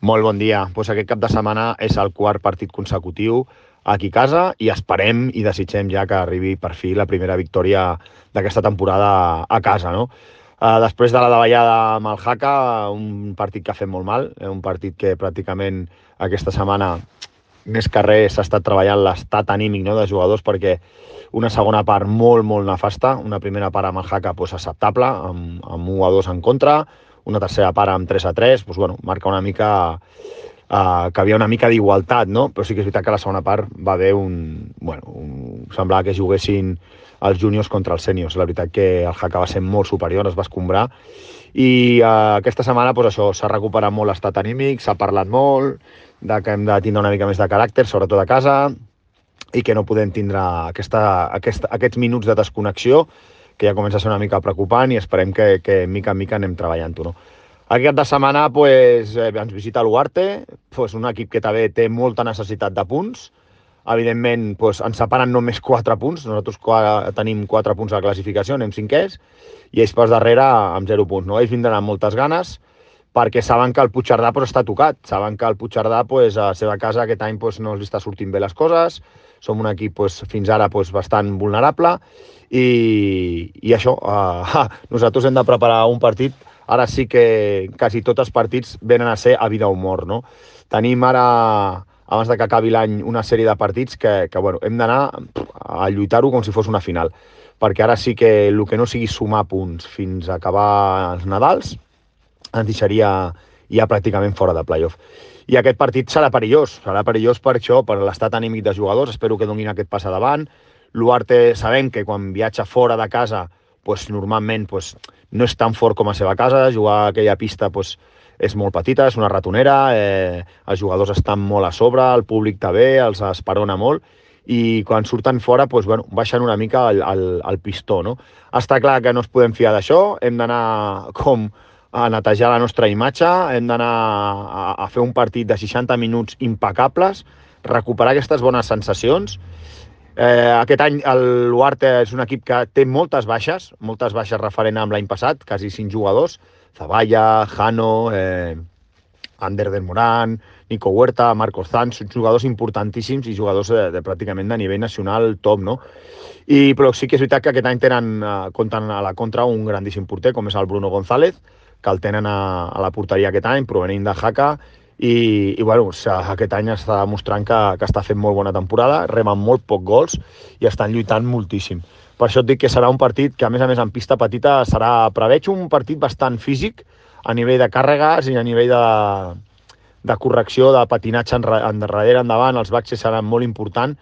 Molt bon dia. Aquest cap de setmana és el quart partit consecutiu aquí a casa i esperem i desitgem ja que arribi per fi la primera victòria d'aquesta temporada a casa, no? Després de la davallada amb el Jaca, un partit que ha fet molt mal, un partit que pràcticament aquesta setmana més que res s'ha estat treballant l'estat anímic, no, de jugadors, perquè una segona part molt, molt nefasta, una primera part amb el Jaca acceptable, amb 1-2 en contra, una tercera part amb 3-3, marca una mica que havia una mica d'igualtat, no? Però sí que és veritat que a la segona part va haver semblava que juguessin els júniors contra els sèniors. La veritat que el Jaca va ser molt superior, es va escombrar, i aquesta setmana s'ha recuperat molt l'estat anímic, s'ha parlat molt de que hem de tindre una mica més de caràcter, sobretot a casa, i que no podem tindre aquests minuts de desconnexió, que ja comença a ser una mica preocupant, i esperem que mica en mica anem treballant-ho, no? Aquest cap de setmana ens visita l'Uarte, un equip que també té molta necessitat de punts. Evidentment, ens separen només 4 punts. Nosaltres tenim 4 punts a la classificació, anem cinquers, i ells per darrere amb 0 punts. No? Ells vindran amb moltes ganes, perquè saben que el Puigcerdà està tocat. Saben que el Puigcerdà, a la seva casa, aquest any no els està sortint bé les coses. Som un equip fins ara bastant vulnerable, i això, nosaltres hem de preparar un partit. Ara sí que quasi tots els partits venen a ser a vida o mort, no? Tenim ara, abans de que acabi l'any, una sèrie de partits que hem d'anar a lluitar-ho com si fos una final, perquè ara sí que el que no sigui sumar punts fins a acabar els Nadals ens deixaria ja pràcticament fora de playoff. I aquest partit serà perillós per això, per l'estat anímic de jugadors. Espero que donin aquest pas davant. L'Uarte sabem que quan viatja fora de casa normalment no és tan fort com a seva casa. Jugar a aquella pista és molt petita, és una ratonera, els jugadors estan molt a sobre, el públic també, els esperona molt, i quan surten fora baixen una mica el pistó, no? Està clar que no es podem fiar d'això, hem d'anar a netejar la nostra imatge, hem d'anar a fer un partit de 60 minuts impecables, recuperar aquestes bones sensacions. Aquest any l'Uarte és un equip que té moltes baixes referent amb l'any passat, quasi 5 jugadors, Zavalla, Jano, Ander del Morán, Nico Huerta, Marcos Zanz, són jugadors importantíssims i jugadors pràcticament de nivell nacional top, no? Però sí que és veritat que aquest any compten a la contra un grandíssim porter, com és el Bruno González, que el tenen a la porteria aquest any, provenint de Jaca, i aquest any està demostrant que està fent molt bona temporada, remen molt poc gols i estan lluitant moltíssim. Per això et dic que serà un partit que, a més en pista petita, preveig un partit bastant físic a nivell de càrregues i a nivell de correcció, de patinatge endarrere, endavant. Els baixes seran molt importants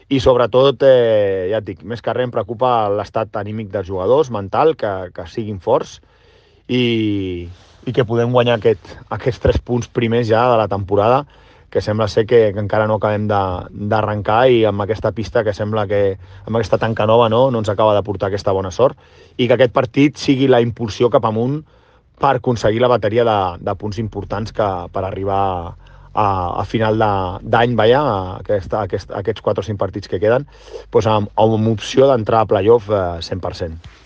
i, sobretot, ja et dic, més que res em preocupa l'estat anímic dels jugadors, mental, que siguin forts i que podem guanyar aquests 3 punts primers ja de la temporada, que sembla ser que encara no acabem d'arrencar, i amb aquesta pista que sembla que amb aquesta tanca nova no ens acaba de portar aquesta bona sort, i que aquest partit sigui la impulsió cap amunt per aconseguir la bateria de punts importants per arribar a final d'any, aquests 4 o 5 partits que queden, amb opció d'entrar a playoff 100%.